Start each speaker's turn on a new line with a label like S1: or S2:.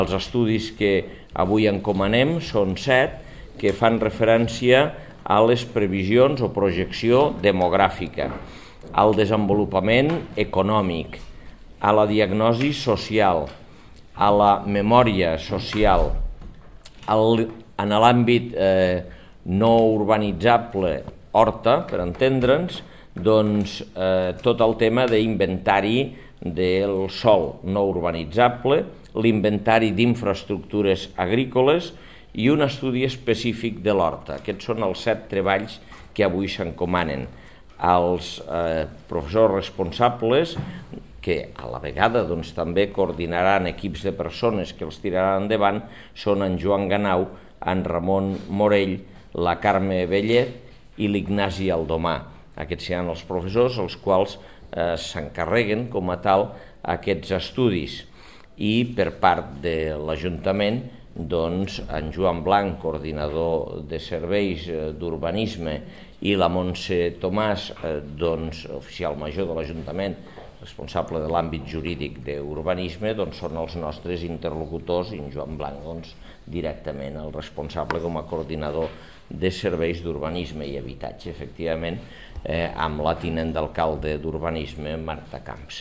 S1: Els estudis que avui encomanem són 7 que fan referència a les previsions o projecció demogràfica, al desenvolupament econòmic, a la diagnosi social, a la memòria social, en l'àmbit no urbanitzable Horta, per entendre'ns, doncs tot el tema d'inventari del sòl no urbanitzable, l'inventari d'infraestructures agrícoles i un estudi específic de l'horta. Aquests són els 7 treballs que avui s'encomanen. Els professors responsables, que a la vegada també coordinaran equips de persones que els tiraran endavant, són en Joan Ganau, en Ramon Morell, la Carme Bellet i l'Ignasi Aldomà. Aquests seran els professors els quals s'encarreguen com a tal aquests estudis. I per part de l'Ajuntament, doncs, en Joan Blanc, coordinador de serveis d'urbanisme, i la Montse Tomàs, doncs, oficial major de l'Ajuntament, responsable de l'àmbit jurídic d'urbanisme, doncs són els nostres interlocutors, i en Joan Blanc, doncs, directament el responsable com a coordinador de serveis d'urbanisme i habitatge, efectivament, amb la tinent d'alcalde d'urbanisme, Marta Camps.